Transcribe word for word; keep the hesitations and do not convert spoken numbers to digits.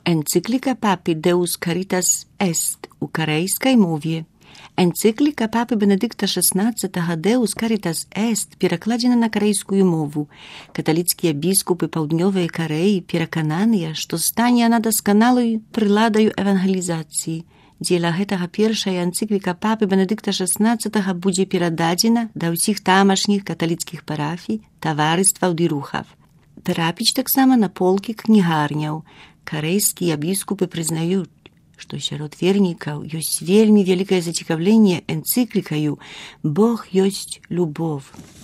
Encyklika Papy Deus Caritas Est у корейській мові. Енцикліка Папи Бенедикта шістнадцятого Deus Caritas Est перакладзена на карэйскую мову. Каталіцкія біскупы Паўднёвай Карэі перакананыя, што стане яна дасканалай прыладаю евангелізацыі. Дзеля гэтага першая энцыкліка Папы Бенедикта шістнадцятого будзе перададзена да ўсіх тамашніх каталіцкіх парафій, таварыстваў ды рухаў. Трапіць таксама на полкі кнігарняў. Карэйскія біскупы прызнаюць, што сярод вернікаў ёсць вельмі вялікае зацікаўленне энцыклікаю «Бог ёсць любов».